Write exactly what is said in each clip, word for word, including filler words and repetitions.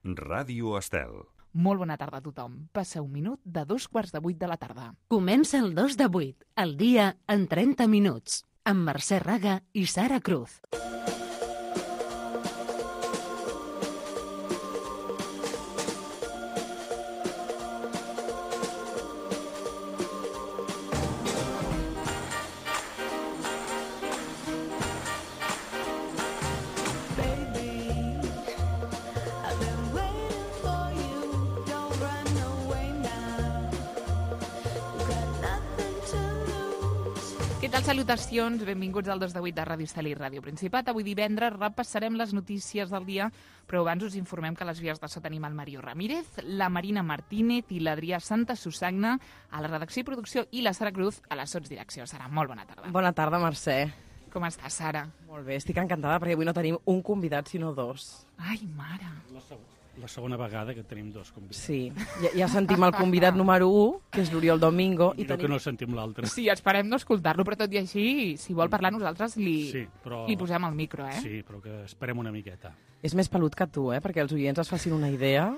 Ràdio Estel. Molt bona tarda a tothom. Passa un minut de dos quarts de vuit de la tarda. Comença el dos de vuit, el dia en trenta minuts, amb Mercè Raga i Sara Cruz. Salutacions, benvinguts al dos de vuit de Ràdio Estel i Ràdio Principat. Avui divendres repassarem les notícies del dia, però abans us informem que a les vies de so tenim el Mario Ramírez, la Marina Martínez i l'Adrià Santa Susagna a la redacció i producció i la Sara Cruz a la sotsdirecció. Sara, molt bona tarda. Bona tarda, Mercè. Com estàs, Sara? Molt bé, estic encantada perquè avui no tenim un convidat, sinó dos. Ai, mare. La segona. La segona vegada que tenim dos convidats. Sí, ja, ja sentim el convidat número u, que és l'Oriol Domingo. I, I tenim... que no sentim l'altre. Sí, esperem no escoltar-lo, però tot i així, si vol parlar nosaltres, li, sí, però... li posem el micro, eh? Sí, però que esperem una miqueta. És més pelut que tu, eh? Perquè els oients es facin una idea.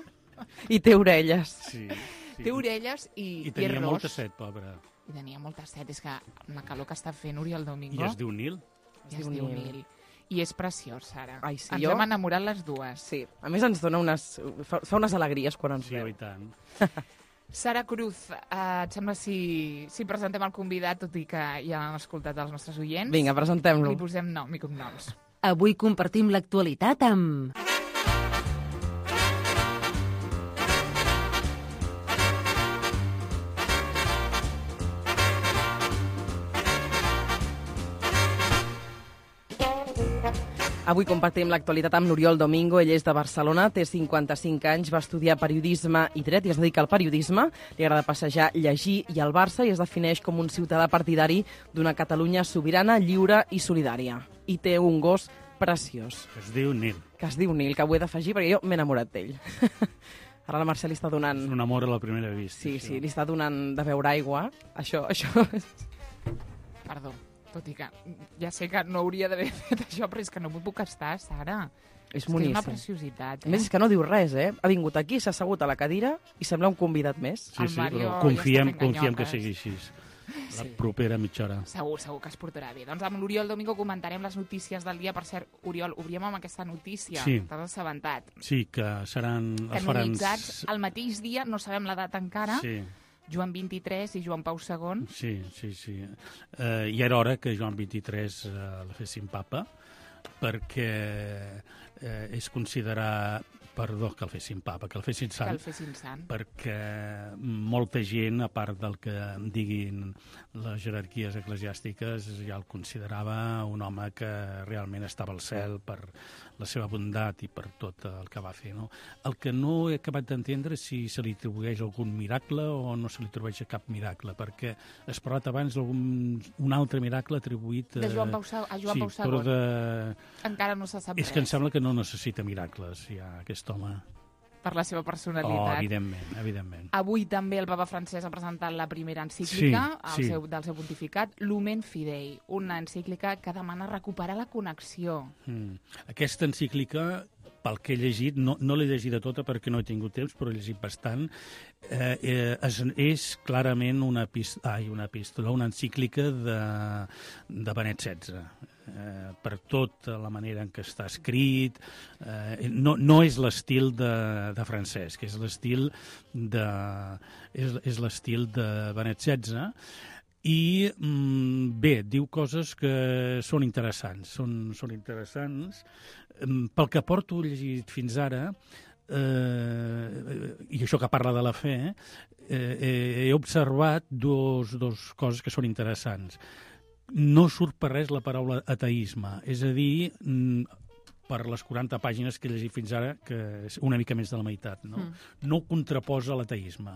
I té orelles. Sí, sí. Té orelles i, I tenia i és molta set, pobre. I tenia molta set. És que amb la calor que està fent Oriol Domingo... I es diu Nil. I es diu Nil. I és preciós, Sara. Ai, sí, ens jo... hem enamorat les dues. Sí, a més ens dona unes... fa, fa unes alegries quan ens sí, veu. Sí, i tant. Sara Cruz, eh, et sembla si, si presentem el convidat, tot i que ja hem escoltat els nostres oients? Vinga, presentem-lo. Li posem nom i cognoms. Avui compartim l'actualitat amb... Avui compartim l'actualitat amb l'Oriol Domingo. Ell és de Barcelona, té cinquanta-cinc anys, va estudiar periodisme i dret i es dedica al periodisme. Li agrada passejar, llegir i al Barça i es defineix com un ciutadà partidari d'una Catalunya sobirana, lliure i solidària. I té un gos preciós. Que es diu Nil. Que es diu Nil, que ho he d'afegir perquè jo m'he enamorat d'ell. Ara la Mercè li està donant... És un amor a la primera vista. Sí, això. sí, li està donant de beure aigua. Això, això... Perdó. Tot i que ja sé que no hauria d'haver fet això, però és que no m'ho puc estar, Sara. És, és boníssim. És una preciositat. Eh? A més, és que no diu res, eh? Ha vingut aquí, s'ha assegut a la cadira i sembla un convidat més. Sí, sí, però confiem, ja confiem que sigui així. La sí. propera mitja hora. Segur, segur que es portarà bé. Doncs amb l'Oriol Domingo comentarem les notícies del dia. Per cert, Oriol, obríem amb aquesta notícia. Sí. T'has assabentat. Sí, que seran... Canonitzats el mateix dia, no sabem la data encara. Sí. Joan vint-i-tres i Joan Pau segon. Sí, sí, sí. Eh, I era hora que Joan vint-i-tres eh, la fessin papa, perquè eh, és considerar... Perdó, que el fessin papa, que el fessin sant. Que el fessin sant. Perquè molta gent, a part del que diguin les jerarquies eclesiàstiques, ja el considerava un home que realment estava al cel per la seva bondat i per tot el que va fer. No? El que no he acabat d'entendre és si se li atribueix algun miracle o no se li atribueix cap miracle, perquè has parlat abans d'algun un altre miracle atribuït... De Joan Pau, a Joan sí, Pau segon. De... Encara no se sap és res. És que em sembla que no necessita miracles, ja, aquest home. Per la seva personalitat. Oh, evidentment, evidentment. Avui també el papa francès ha presentat la primera encíclica sí, sí. Seu, del seu pontificat, Lumen Fidei, una encíclica que demana recuperar la connexió. Mm. Aquesta encíclica, pel que he llegit, no, no l'he llegida tota perquè no he tingut temps, però he llegit bastant, eh, eh, és, és clarament una, epístola, ai, una epístola, una encíclica de, de Benet setze. Eh, per tota la manera en què està escrit, eh, no, no és l'estil de, de Francesc, és l'estil de, és, és l'estil de Benet setze, i mm, bé, diu coses que són interessants, són, són interessants. Pel que porto llegit fins ara, eh, i això que parla de la fe, eh, he observat dos, dos coses que són interessants. No surt per res la paraula ateisme, és a dir, per les quaranta pàgines que he llegit fins ara, que és una mica més de la meitat, no, mm. no contraposa l'ateisme.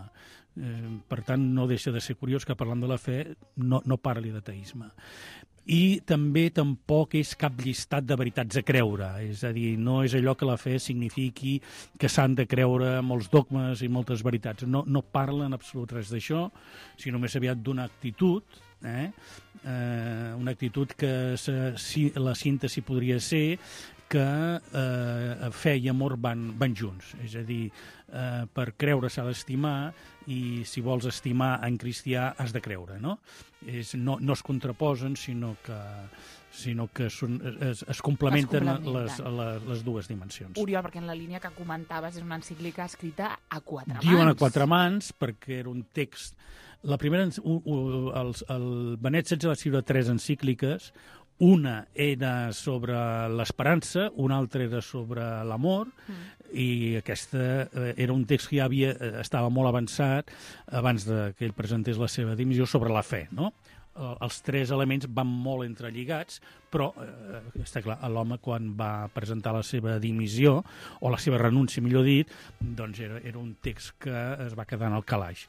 Eh, per tant, no deixa de ser curiós que parlant de la fe no, no parli d'ateisme. I també tampoc és cap llistat de veritats a creure, és a dir, no és allò que la fe signifiqui que s'han de creure molts dogmes i moltes veritats. No, no parla en absolut res d'això, sinó més aviat d'una actitud, eh? Eh, una actitud que se, si, la síntesi podria ser que eh, fe i amor van, van junts. És a dir, eh, per creure s'ha d'estimar i si vols estimar en cristià has de creure, no? És, no, no es contraposen, sinó que, sinó que són, es, es complementen, es complementen. Les, les, les dues dimensions. Oriol, perquè en la línia que comentaves és una encíclica escrita a quatre mans. Diuen a quatre mans perquè era un text... La primera, el, el, el Benet setze va escriure tres encícliques. Una era sobre l'esperança, una altra era sobre l'amor, mm. i aquesta eh, era un text que ja havia, estava molt avançat abans de que ell presentés la seva dimissió sobre la fe, no? Els tres elements van molt entrelligats, però eh, està clar, l'home quan va presentar la seva dimissió, o la seva renúncia, millor dit, doncs era, era un text que es va quedar en el calaix.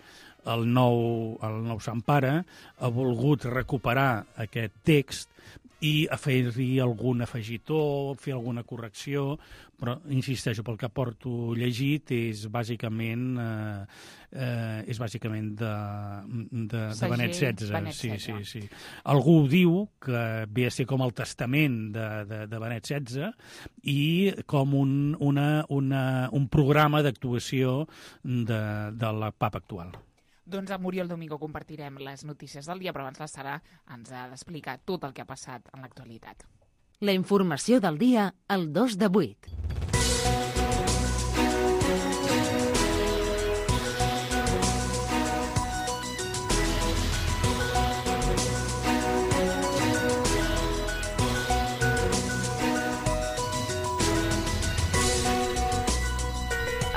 El nou, el nou Sant Pare ha volgut recuperar aquest text i afegir algun afegitó, fer alguna correcció, però, insisteixo, pel que porto llegit és bàsicament eh, eh, és bàsicament de, de, de Benet setze. Benet sí, setze. sí, sí. Algú diu que ve a ser com el testament de, de, de Benet setze i com un, una, una, un programa d'actuació de, de la papa actual. Doncs amb Oriol Domingo compartirem les notícies del dia, però abans la Sara ens ha d'explicar tot el que ha passat en l'actualitat. La informació del dia al dos de vuit.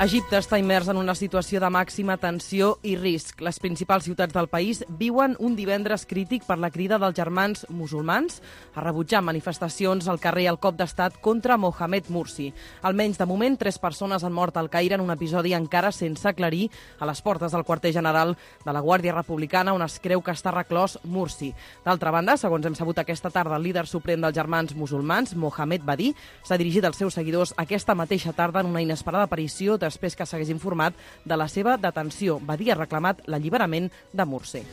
Egipte està immers en una situació de màxima tensió i risc. Les principals ciutats del país viuen un divendres crític per la crida dels germans musulmans a rebutjar manifestacions al carrer al cop d'estat contra Mohamed Morsi. Almenys de moment, tres persones han mort al Caire en un episodi encara sense aclarir a les portes del quarter general de la Guàrdia Republicana, on es creu que està reclòs Morsi. D'altra banda, segons hem sabut aquesta tarda, el líder suprem dels germans musulmans, Mohamed Badi, s'ha dirigit als seus seguidors aquesta mateixa tarda en una inesperada aparició després que s'hagués informat de la seva detenció. Badi ha reclamat l'alliberament de Morsi.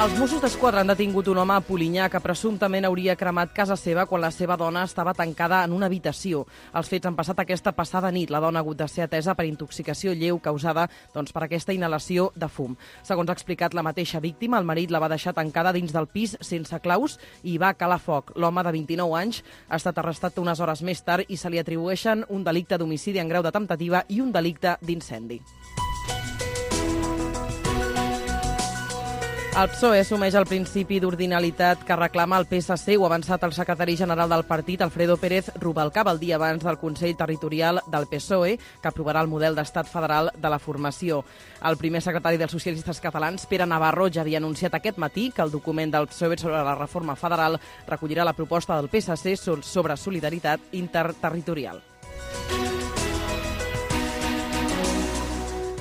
Els Mossos d'Esquadra han detingut un home a Polinyà que presumptament hauria cremat casa seva quan la seva dona estava tancada en una habitació. Els fets han passat aquesta passada nit. La dona ha hagut de ser atesa per intoxicació lleu causada doncs, per aquesta inhalació de fum. Segons ha explicat la mateixa víctima, el marit la va deixar tancada dins del pis sense claus i va calar foc. L'home de vint-i-nou anys ha estat arrestat unes hores més tard i se li atribueixen un delicte d'homicidi en grau de temptativa i un delicte d'incendi. El P S O E assumeix el principi d'ordinalitat que reclama el P S C. Ho ha avançat el secretari general del partit, Alfredo Pérez Rubalcaba, el dia abans del Consell Territorial del P S O E, que aprovarà el model d'estat federal de la formació. El primer secretari dels socialistes catalans, Pere Navarro, ja havia anunciat aquest matí que el document del P S O E sobre la reforma federal recollirà la proposta del P S C sobre solidaritat interterritorial.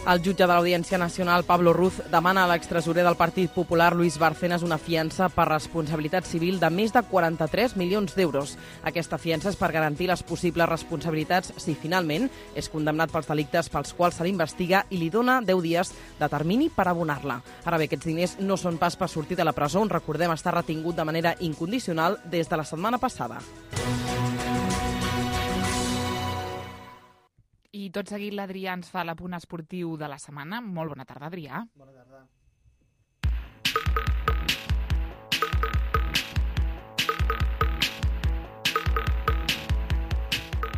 El jutge de l'Audiència Nacional, Pablo Ruz, demana a l'extresorer del Partit Popular, Luis Bárcenas, una fiança per responsabilitat civil de més de quaranta-tres milions d'euros. Aquesta fiança és per garantir les possibles responsabilitats si finalment és condemnat pels delictes pels quals se l'investiga i li dona deu dies de termini per abonar-la. Ara bé, aquests diners no són pas per sortir de la presó, on recordem estar retingut de manera incondicional des de la setmana passada. I tot seguit l'Adrià ens fa l'apunt esportiu de la setmana. Molt bona tarda, Adrià. Bona tarda.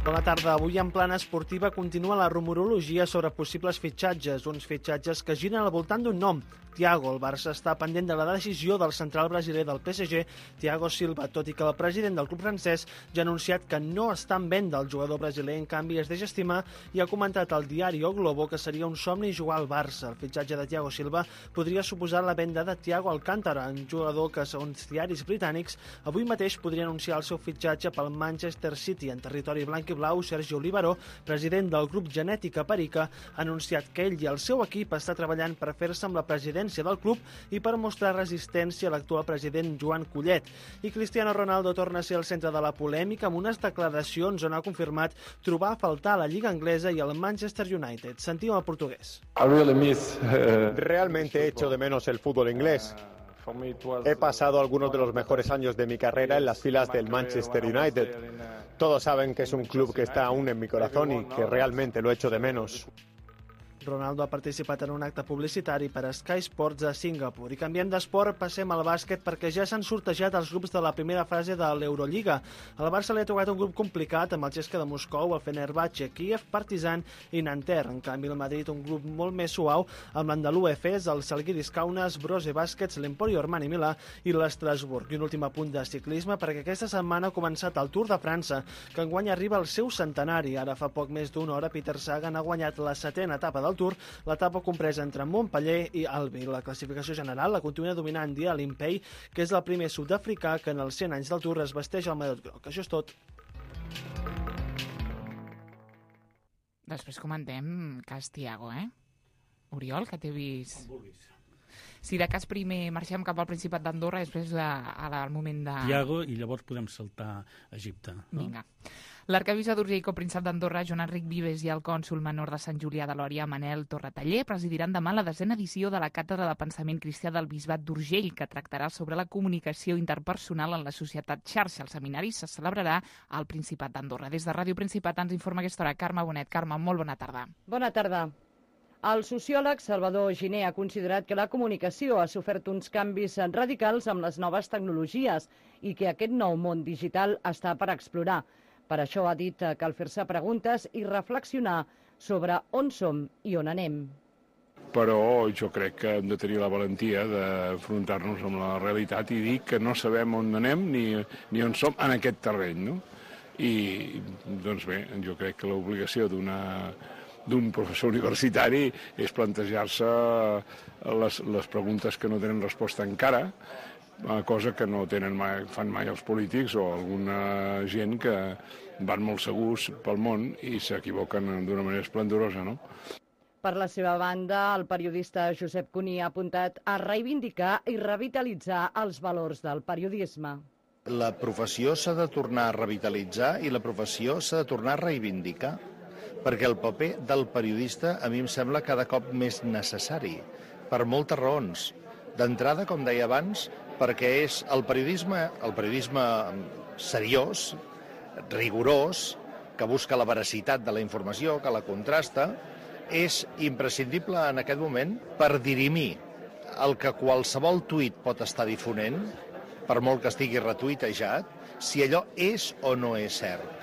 Bona tarda. Avui en plana esportiva continua la rumorologia sobre possibles fitxatges, uns fitxatges que giren al voltant d'un nom, Thiago. El Barça està pendent de la decisió del central brasiler del P S G, Thiago Silva, tot i que el president del club francès ja ha anunciat que no està en venda el jugador brasiler, en canvi es deixa estimar i ha comentat al diari O Globo que seria un somni jugar al Barça. El fitxatge de Thiago Silva podria suposar la venda de Thiago Alcántara, un jugador que, segons diaris britànics, avui mateix podria anunciar el seu fitxatge pel Manchester City. En territori blanc i blau, Sergio Olivaró, president del grup Genètica Perica, ha anunciat que ell i el seu equip està treballant per fer-se amb la presidència del club i per mostrar resistència a l'actual president Joan Collet. I Cristiano Ronaldo torna a ser el centre de la polèmica amb unes declaracions on ha confirmat trobar a faltar a la Lliga Anglesa i al Manchester United. Sentim el portuguès. I really miss, uh... Realmente echo de menos el fútbol inglés. He pasado algunos de los mejores años de mi carrera en las filas del Manchester United. Todos saben que es un club que está aún en mi corazón y que realmente lo echo de menos. Ronaldo ha participat en un acte publicitari per a Sky Sports a Singapur. I canviem d'esport, passem al bàsquet perquè ja s'han sortejat els grups de la primera fase de l'Eurolliga. Al Barça li ha tocat un grup complicat amb el Cesca de Moscou, el Fenerbahçe, Kíev, Partizan i Nanterre. En canvi, el Madrid un grup molt més suau amb l'Andalú Efes, el Žalgiris Kaunas, Brose Baskets, l'Emporio Armani Milà i l'Estrasburg. I un últim apunt de ciclisme perquè aquesta setmana ha començat el Tour de França, que enguany arriba al seu centenari. Ara fa poc més d'una hora Peter Sagan ha guanyat la setena etapa del Tour, l'etapa compresa entre Montpeller i Albi. La classificació general la continua dominant Dia Limpey, que és el primer sud-africà que en els cent anys del Tour es vesteix el maillot groc. Això és tot. Després comentem cas Tiago, eh? Oriol, que t'he vist... Si de cas primer marxem cap al Principat d'Andorra, després al moment de... Tiago, i llavors podem saltar a Egipte. No? Vinga. L'arcabisbe d'Urgell i copríncep d'Andorra, Joan Enric Vives, i el cònsol menor de Sant Julià de Lòria, Manel Torretaller, presidiran demà la desena edició de la Càtedra de Pensament Cristià del Bisbat d'Urgell, que tractarà sobre la comunicació interpersonal en la societat xarxa. El seminari se celebrarà al Principat d'Andorra. Des de Ràdio Principat ens informa aquesta hora Carme Bonet. Carme, molt bona tarda. Bona tarda. El sociòleg Salvador Giner ha considerat que la comunicació ha sofert uns canvis radicals amb les noves tecnologies i que aquest nou món digital està per explorar. Per això ha dit que cal fer-se preguntes i reflexionar sobre on som i on anem. Però jo crec que hem de tenir la valentia d'afrontar-nos amb la realitat i dir que no sabem on anem ni, ni on som en aquest terreny, no? I, doncs bé, jo crec que l'obligació d'una... d'un professor universitari és plantejar-se les, les preguntes que no tenen resposta encara, cosa que no tenen mai, fan mai els polítics o alguna gent que van molt segurs pel món i s'equivoquen d'una manera esplendorosa, no? Per la seva banda, el periodista Josep Cuní ha apuntat a reivindicar i revitalitzar els valors del periodisme. La professió s'ha de tornar a revitalitzar i la professió s'ha de tornar a reivindicar, perquè el paper del periodista a mi em sembla cada cop més necessari, per moltes raons. D'entrada, com deia abans, perquè és el periodisme, el periodisme seriós, rigorós, que busca la veracitat de la informació, que la contrasta, és imprescindible en aquest moment per dirimir el que qualsevol tuit pot estar difonent, per molt que estigui retuitejat, si allò és o no és cert.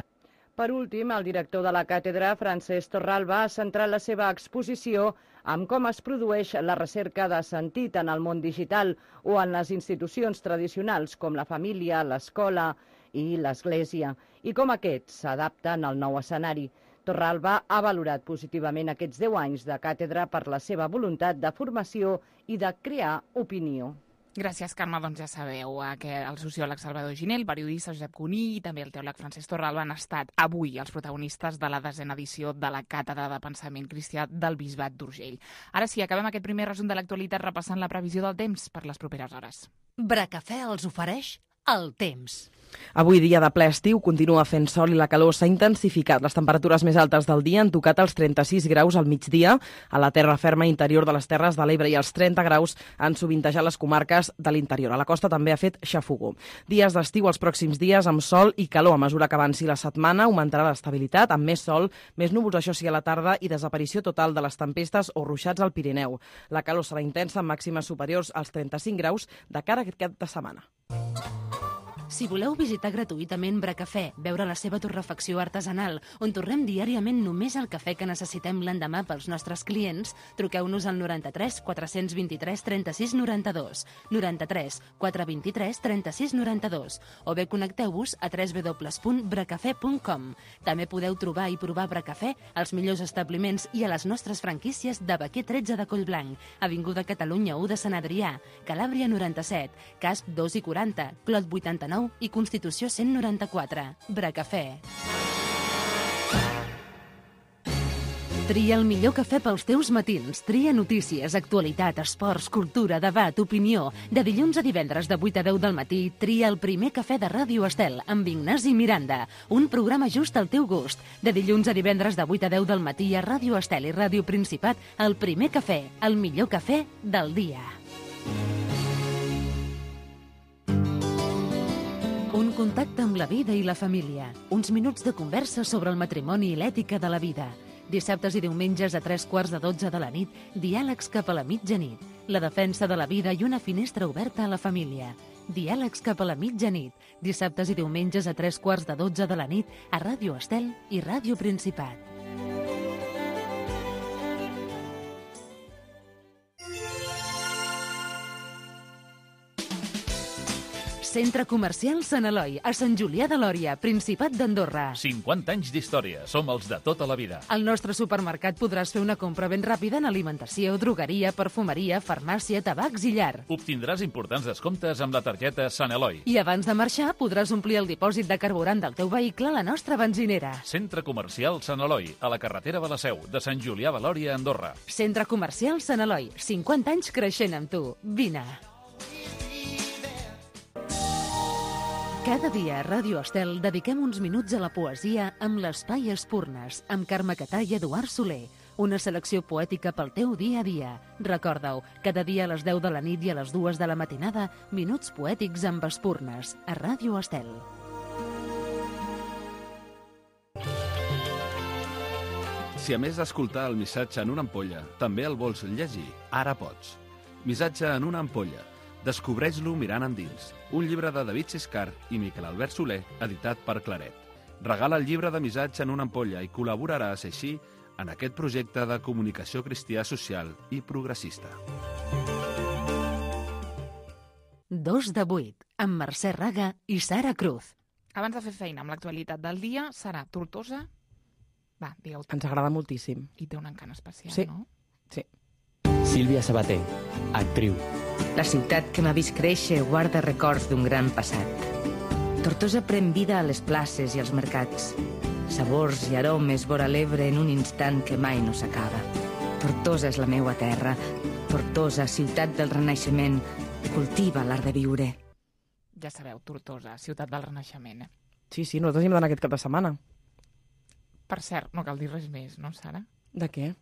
Per últim, el director de la càtedra, Francesc Torralba, ha centrat la seva exposició en com es produeix la recerca de sentit en el món digital o en les institucions tradicionals com la família, l'escola i l'església, i com aquests s'adapten al nou escenari. Torralba ha valorat positivament aquests deu anys de càtedra per la seva voluntat de formació i de crear opinió. Gràcies, Carme. Doncs ja sabeu que el sociòleg Salvador Giner, el periodista Josep Cuní i també el teòleg Francesc Torralba han estat avui els protagonistes de la desena edició de la Càtedra de Pensament Cristià del Bisbat d'Urgell. Ara sí, acabem aquest primer resum de l'actualitat repassant la previsió del temps per les properes hores. Bracafè els ofereix el temps. Avui, dia de ple estiu, continua fent sol i la calor s'ha intensificat. Les temperatures més altes del dia han tocat els trenta-sis graus al migdia a la terra ferma interior de les Terres de l'Ebre i els trenta graus han sovintejat les comarques de l'interior. A la costa també ha fet xafogó. Dies d'estiu els pròxims dies amb sol i calor. A mesura que avanci la setmana augmentarà l'estabilitat amb més sol, més núvols, això sí, a la tarda i desaparició total de les tempestes o ruixats al Pirineu. La calor serà intensa amb màximes superiors als trenta-cinc graus de cara a aquest cap de setmana. Si voleu visitar gratuïtament Bracafè, veure la seva torrefacció artesanal, on torrem diàriament només el cafè que necessitem l'endemà pels nostres clients, truqueu-nos al noranta-tres quatre-cents vint-i-tres trenta-sis noranta-dos, noranta-tres quatre-cents vint-i-tres trenta-sis noranta-dos, o bé connecteu-vos a w w w punt bracafè punt com. També podeu trobar i provar Bracafè als millors establiments i a les nostres franquícies de Baquer tretze de Collblanc, Avinguda Catalunya u de Sant Adrià, Calàbria noranta-set, Casp dos i quaranta, Clot vuitanta-nou i Constitució cent noranta-quatre. Bracafè. Tria el millor cafè pels teus matins. Tria notícies, actualitat, esports, cultura, debat, opinió. De dilluns a divendres de vuit a deu del matí, tria el primer cafè de Ràdio Estel amb Ignasi Miranda. Un programa just al teu gust. De dilluns a divendres de vuit a deu del matí a Ràdio Estel i Ràdio Principat, el primer cafè, el millor cafè del dia. Un contacte amb la vida i la família. Uns minuts de conversa sobre el matrimoni i l'ètica de la vida. Dissabtes i diumenges a tres quarts de dotze de la nit, diàlegs cap a la mitjanit. La defensa de la vida i una finestra oberta a la família. Diàlegs cap a la mitjanit. Dissabtes i diumenges a tres quarts de dotze de la nit a Ràdio Estel i Ràdio Principat. Centre Comercial Sant Eloi, a Sant Julià de Lòria, Principat d'Andorra. cinquanta anys d'història. Som els de tota la vida. Al nostre supermercat podràs fer una compra ben ràpida en alimentació, drogueria, perfumeria, farmàcia, tabacs i llar. Obtindràs importants descomptes amb la targeta Sant Eloi. I abans de marxar podràs omplir el dipòsit de carburant del teu vehicle a la nostra benzinera. Centre Comercial Sant Eloi, a la carretera de la Seu, de Sant Julià de Lòria, Andorra. Centre Comercial Sant Eloi, cinquanta anys creixent amb tu. Vine. Cada dia a Ràdio Estel dediquem uns minuts a la poesia amb l'Espai Espurnes, amb Carme Catà i Eduard Soler. Una selecció poètica pel teu dia a dia. Recorda-ho, cada dia a les deu de la nit i a les dues de la matinada, minuts poètics amb Espurnes, a Ràdio Estel. Si a més d'escoltar el missatge en una ampolla, també el vols llegir, ara pots. Missatge en una ampolla. Descobreix-lo mirant endins. Un llibre de David Siscar i Miquel Albert Soler, editat per Claret. Regala el llibre de missatge en una ampolla i col·laboraràs així en aquest projecte de comunicació cristià social i progressista. Dos de vuit, amb Mercè Raga i Sara Cruz. Abans de fer feina amb l'actualitat del dia, serà Tortosa? Va, digueu-ho. Ens agrada moltíssim. I té un encant especial, sí. no? Sí. Sílvia Sabater, actriu. La ciutat que m'ha vist créixer guarda records d'un gran passat. Tortosa pren vida a les places i als mercats. Sabors i aromes vora l'Ebre en un instant que mai no s'acaba. Tortosa és la meua terra. Tortosa, ciutat del Renaixement, cultiva l'art de viure. Ja sabeu, Tortosa, ciutat del Renaixement. Eh? Sí, sí, nosaltres hi hem d'anar aquest cap de setmana. Per cert, no cal dir res més, no, Sara? De què?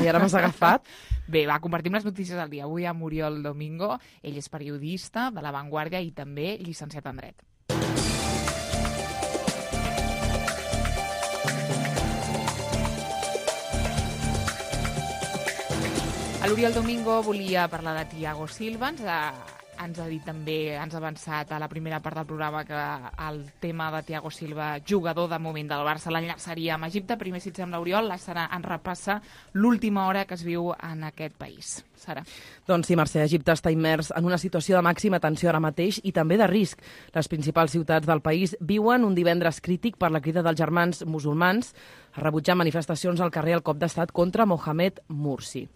I ara m'has agafat? Bé, va, compartim les notícies del dia. Avui amb Oriol Domingo. Ell és periodista de La Vanguardia i també llicenciat en Dret. L'Oriol Domingo volia parlar de Thiago Silva. Ens ha, ens ha dit també, ens ha avançat a la primera part del programa que el tema de Thiago Silva, jugador de moment del Barça, l'enllaçaria amb Egipte. Primer, si et sembla, Oriol, la Sara ens repassa l'última hora que es viu en aquest país. Sara. Doncs sí, Mercè, Egipte està immers en una situació de màxima tensió ara mateix i també de risc. Les principals ciutats del país viuen un divendres crític per la crida dels germans musulmans a rebutjar manifestacions al carrer al cop d'estat contra Mohamed Morsi.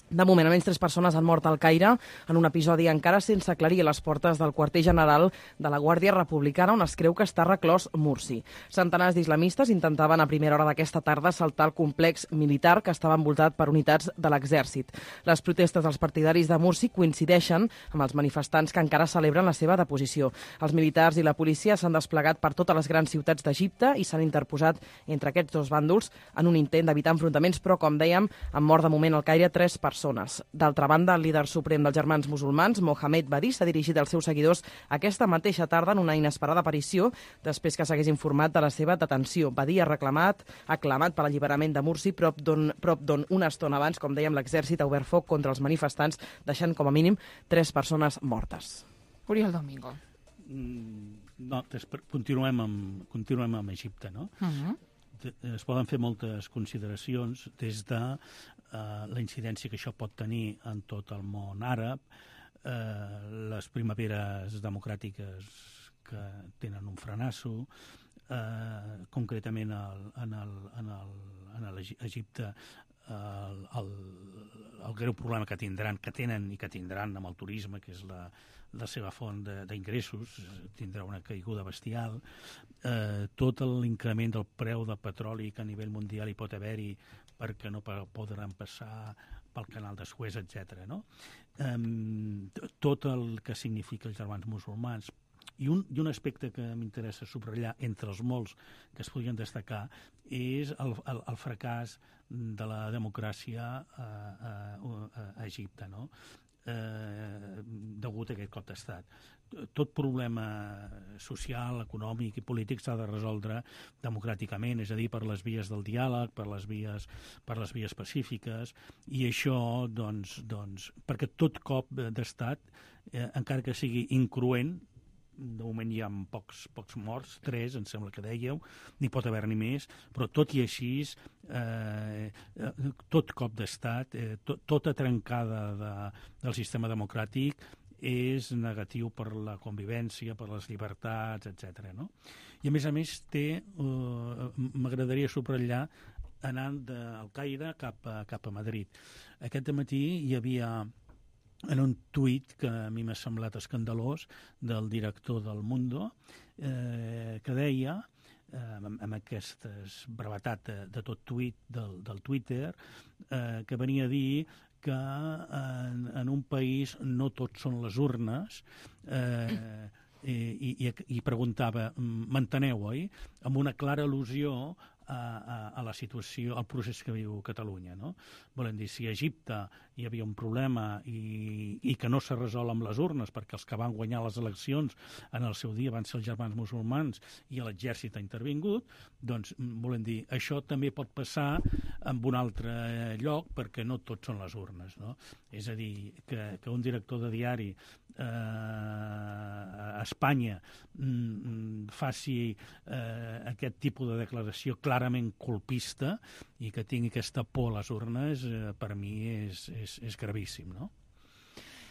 De moment, almenys tres persones han mort al Caire en un episodi encara sense aclarir a les portes del quarter general de la Guàrdia Republicana, on es creu que està reclòs Morsi. Centenars d'islamistes intentaven a primera hora d'aquesta tarda saltar el complex militar que estava envoltat per unitats de l'exèrcit. Les protestes dels partidaris de Morsi coincideixen amb els manifestants que encara celebren la seva deposició. Els militars i la policia s'han desplegat per totes les grans ciutats d'Egipte i s'han interposat entre aquests dos bàndols en un intent d'evitar enfrontaments, però, com dèiem, han mort de moment al Caire tres persones. D'altra banda, el líder suprem dels germans musulmans, Mohamed Badí, s'ha dirigit als seus seguidors aquesta mateixa tarda en una inesperada aparició després que s'hagués informat de la seva detenció. Badí ha reclamat, ha clamat per l'alliberament de Morsi, prop d'on prop d'on una estona abans, com dèiem, l'exèrcit ha obert foc contra els manifestants, deixant com a mínim tres persones mortes. Oriol Domingo. Mm, no, continuem amb, continuem amb Egipte, no? Uh-huh. Es poden fer moltes consideracions des de eh, la incidència que això pot tenir en tot el món àrab, eh, les primaveres democràtiques que tenen un frenasso, eh, concretament el, en, el, en, el, en el Egipte el, el, el greu problema que tindran, que tenen i que tindran amb el turisme, que és la, la seva font d'ingressos, tindrà una caiguda bestial, eh, tot l'increment del preu del petroli que a nivell mundial hi pot haver-hi perquè no podran passar pel canal de Suez, etcètera. No? Eh, tot el que significa els germans musulmans. I un, i un aspecte que m'interessa subratllar entre els molts que es podrien destacar és el, el, el fracàs de la democràcia a, a, a Egipte, no? eh, degut a aquest cop d'estat. Tot problema social, econòmic i polític s'ha de resoldre democràticament, és a dir, per les vies del diàleg, per les vies, per les vies pacífiques, i això, doncs, doncs perquè tot cop d'estat, eh, encara que sigui incruent, de moment hi ha pocs, pocs morts, tres, em sembla que dèieu, n'hi pot haver-n'hi més, però tot i així, eh, tot cop d'estat, eh, to, tota trencada de, del sistema democràtic és negatiu per la convivència, per les llibertats, etcètera. No? I a més a més té, eh, m'agradaria subratllar, anant del Caire cap a, cap a Madrid. Aquest matí hi havia en un tuit que a mi m'ha semblat escandalós del director del Mundo, eh, que deia, eh, amb, amb aquesta brevetat de, de tot tuit del, del Twitter, eh, que venia a dir que en, en un país no tot són les urnes, eh, i, i, i preguntava, m'enteneu, oi? Amb una clara al·lusió A, a, a la situació, al procés que viu Catalunya, no? Volem dir, si a Egipte hi havia un problema i, i que no s'ha resolt amb les urnes, perquè els que van guanyar les eleccions en el seu dia van ser els germans musulmans i l'exèrcit ha intervingut, doncs, volem dir, això també pot passar en un altre lloc perquè no tot són les urnes, no? És a dir, que, que un director de diari eh, a Espanya mm, faci eh, aquest tipus de declaració clarament colpista i que tingui aquesta por a les urnes, eh, per mi és, és, és gravíssim, no?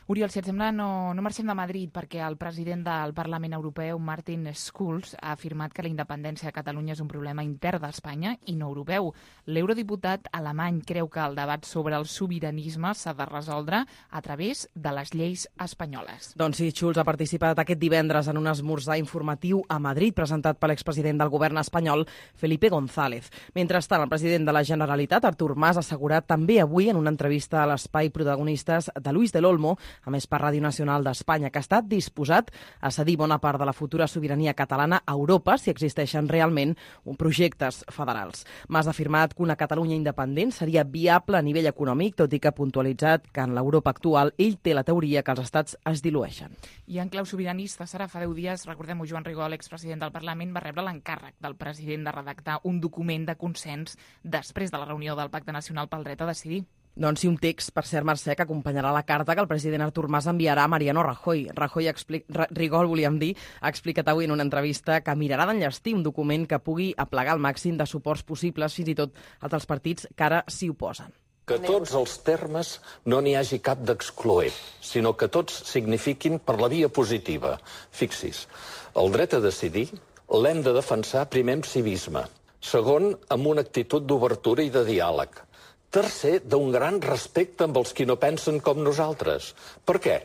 Oriol, si et sembla, no, no marxem de Madrid perquè el president del Parlament Europeu, Martin Schulz, ha afirmat que la independència de Catalunya és un problema intern d'Espanya i no europeu. L'eurodiputat alemany creu que el debat sobre el sobiranisme s'ha de resoldre a través de les lleis espanyoles. Doncs sí, Schulz ha participat aquest divendres en un esmorzar informatiu a Madrid presentat per l'expresident del govern espanyol, Felipe González. Mentrestant, el president de la Generalitat, Artur Mas, ha assegurat també avui en una entrevista a l'espai Protagonistes de Luis del Olmo, a més per Ràdio Nacional d'Espanya, que ha estat disposat a cedir bona part de la futura sobirania catalana a Europa si existeixen realment projectes federals. Mas ha afirmat que una Catalunya independent seria viable a nivell econòmic, tot i que ha puntualitzat que en l'Europa actual ell té la teoria que els estats es dilueixen. I en clau sobiranista, Sara, fa deu dies, recordem-ho, Joan Rigol, expresident del Parlament, va rebre l'encàrrec del president de redactar un document de consens després de la reunió del Pacte Nacional pel Dret a Decidir. Doncs sí, un text, per cert, Mercè, que acompanyarà la carta que el president Artur Mas enviarà a Mariano Rajoy. Rajoy expli... Rigol, volíem dir, ha explicat avui en una entrevista que mirarà d'enllestir un document que pugui aplegar el màxim de suports possibles, fins i tot els dels partits que ara s'hi oposen. Que tots els termes no n'hi hagi cap d'excloent, sinó que tots signifiquin per la via positiva. Fixis, el dret a decidir l'hem de defensar primer amb civisme, segon amb una actitud d'obertura i de diàleg, tercer, d'un gran respecte amb els qui no pensen com nosaltres. Per què?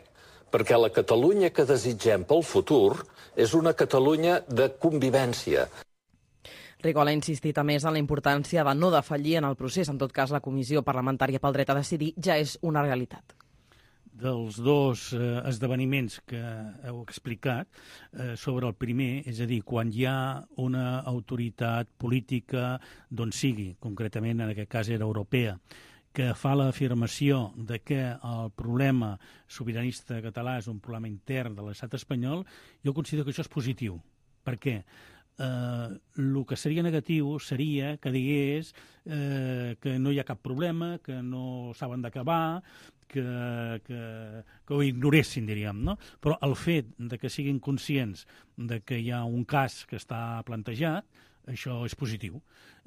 Perquè la Catalunya que desitgem pel futur és una Catalunya de convivència. Rigol ha insistit a més en la importància de no defallir en el procés. En tot cas, la Comissió Parlamentària pel Dret a Decidir ja és una realitat. Dels dos eh, esdeveniments que heu explicat, eh, sobre el primer, és a dir, quan hi ha una autoritat política d'on sigui, concretament en aquest cas era europea, que fa l'afirmació de que el problema sobiranista català és un problema intern de l'estat espanyol, jo considero que això és positiu. Per què? Eh, el que seria negatiu seria que digués eh, que no hi ha cap problema, que no saben d'acabar, que, que, que ho ignoressin, diríem, no? Però el fet de que siguin conscients de que hi ha un cas que està plantejat, això és positiu.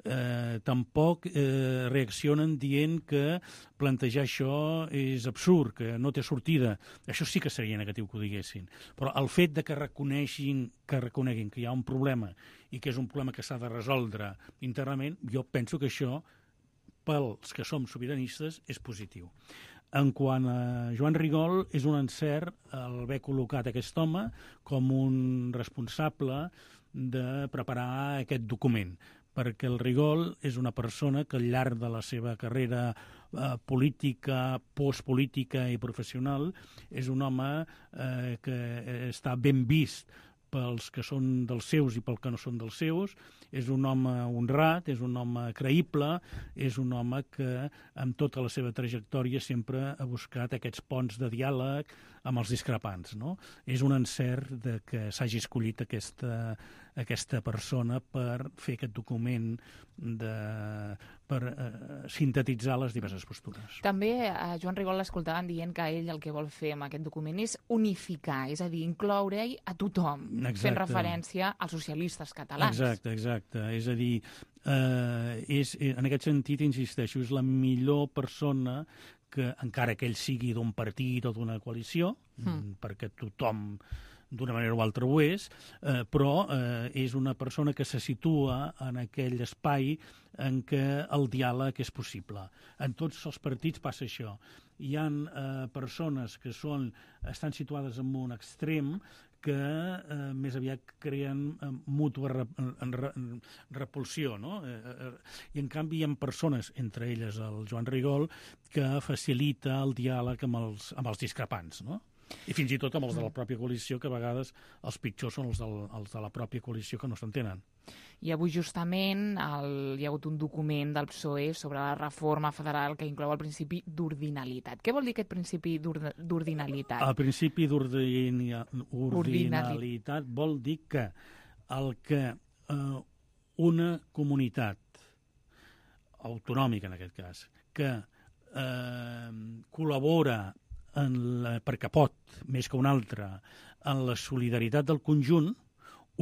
Eh, tampoc eh, reaccionen dient que plantejar això és absurd, que no té sortida. Això sí que seria negatiu que ho diguessin. Però el fet de que reconeguin que reconeguin que hi ha un problema i que és un problema que s'ha de resoldre internament, jo penso que això, pels que som sobiranistes, és positiu. En quant a Joan Rigol, és un encert el haver col·locat aquest home com un responsable de preparar aquest document, perquè el Rigol és una persona que al llarg de la seva carrera eh, política, postpolítica i professional és un home eh, que està ben vist pels que són dels seus i pel que no són dels seus, és un home honrat, és un home creïble, és un home que amb tota la seva trajectòria sempre ha buscat aquests ponts de diàleg amb els discrepants, no? És un encert de que s'hagi escollit aquesta, aquesta persona per fer aquest document, de, per eh, sintetitzar les diverses postures. També a Joan Rigol l'escoltaven dient que ell el que vol fer amb aquest document és unificar, és a dir, incloure-hi a tothom, exacte, fent referència als socialistes catalans. Exacte, exacte. És a dir, eh, és, en aquest sentit, insisteixo, és la millor persona que, encara que ell sigui d'un partit o d'una coalició, mm. perquè tothom d'una manera o altra ho és, eh, però eh, és una persona que se situa en aquell espai en què el diàleg és possible. En tots els partits passa això. Hi ha eh, persones que són, estan situades en un extrem que eh, més aviat creen eh, mútua rep repulsió, no? Eh, eh, I en canvi hi ha persones, entre elles el Joan Rigol, que facilita el diàleg amb els, amb els discrepants, no? I fins i tot amb els de la pròpia coalició, que a vegades els pitjors són els, del, els de la pròpia coalició que no s'entenen. I avui justament el, hi ha hagut un document del P S O E sobre la reforma federal que inclou el principi d'ordinalitat. Què vol dir aquest principi d'ordinalitat? El principi d'ordinalitat vol dir que el que eh, una comunitat autonòmica, en aquest cas, que eh, col·labora en la, perquè pot, més que una altra, en la solidaritat del conjunt,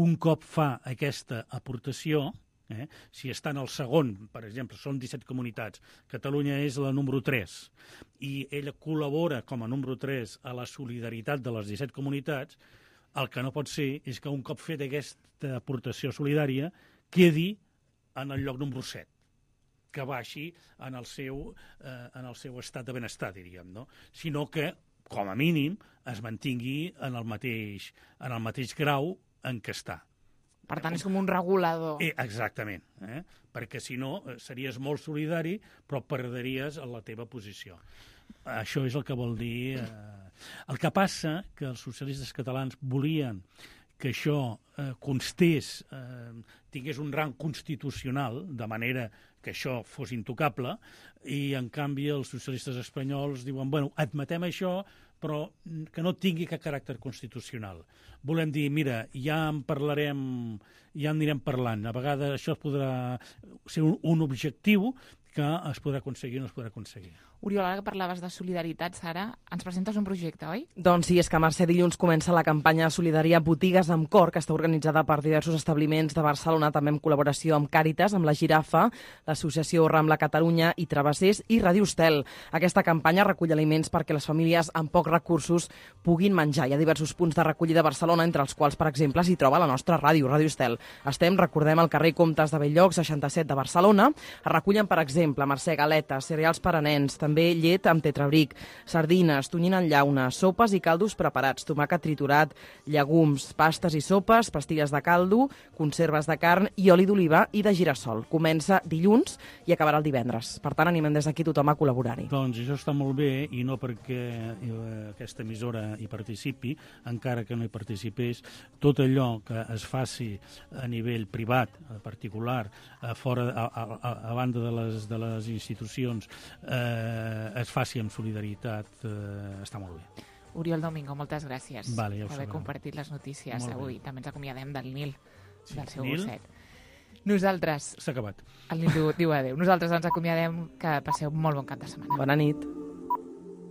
un cop fa aquesta aportació, eh, si està en el segon, per exemple, són disset comunitats, Catalunya és la número tres, i ella col·labora com a número tres a la solidaritat de les disset comunitats, el que no pot ser és que un cop fet aquesta aportació solidària quedi en el lloc número set, que baixi en el seu, eh, en el seu estat de benestar, diríem, no? Sinó que, com a mínim, es mantingui en el mateix, en el mateix grau en què està. Per tant, és com un regulador. Eh, exactament, eh? Perquè si no series molt solidari, però perdries la teva posició. Això és el que vol dir... Eh... El que passa que els socialistes catalans volien que això eh, constés, eh, tingués un rang constitucional, de manera que això fos intocable, i en canvi els socialistes espanyols diuen, bueno, admetem això, però que no tingui cap caràcter constitucional. Volem dir, mira, ja en parlarem, ja en anirem parlant. A vegades això podrà ser un, un objectiu que es podrà aconseguir o no es podrà aconseguir. Oriol, ara que parlaves de solidaritat, Sara, ens presentes un projecte, oi? Doncs sí, és que Mercè dilluns comença la campanya de solidària Botigues amb Cor, que està organitzada per diversos establiments de Barcelona, també en col·laboració amb Càritas, amb la Girafa, l'Associació Rambla Catalunya i Travessers i Ràdio Estel. Aquesta campanya recull aliments perquè les famílies amb pocs recursos puguin menjar. Hi ha diversos punts de recollida a Barcelona, entre els quals, per exemple, s'hi troba la nostra ràdio, Ràdio Estel. Estem, recordem, al carrer Comtes de Belllloc, seixanta-set de Barcelona. Es recullen, per exemple, Mercè, galetes, cereals per a nens, també llet amb tetrabric, sardines, tonyina en llauna, sopes i caldos preparats, tomàquet triturat, llegums, pastes i sopes, pastilles de caldo, conserves de carn i oli d'oliva i de girassol. Comença dilluns i acabarà el divendres. Per tant, animem des d'aquí tothom a col·laborar-hi. Doncs això està molt bé, i no perquè aquesta emissora hi participi, encara que no hi participés, tot allò que es faci a nivell privat, particular, a, fora, a, a, a banda de les, de les institucions, eh, es faci amb solidaritat, eh, està molt bé. Oriol Domingo, moltes gràcies vale, ja per haver compartit les notícies molt avui. Bé. També ens acomiadem del Nil, sí, del seu Nil? gosset. Nosaltres... S'ha acabat. El Nil diu adéu. Nosaltres ens acomiadem, que passeu molt bon cap de setmana. Bona nit.